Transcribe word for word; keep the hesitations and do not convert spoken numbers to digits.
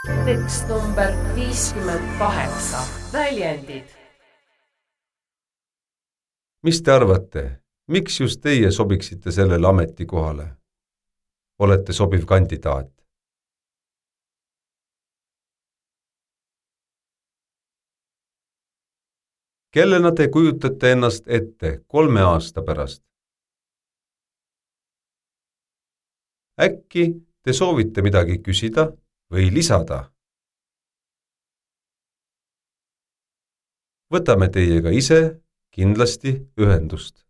Tekst number viiskümmend kaheksa. Väljendid. Mis te arvate, miks just teie sobiksite sellele ametikohale? Olete sobiv kandidaat. Kellena te kujutate ennast ette kolme aasta pärast? Äkki te soovite midagi küsida või lisada? Võtame teiega ise kindlasti ühendust.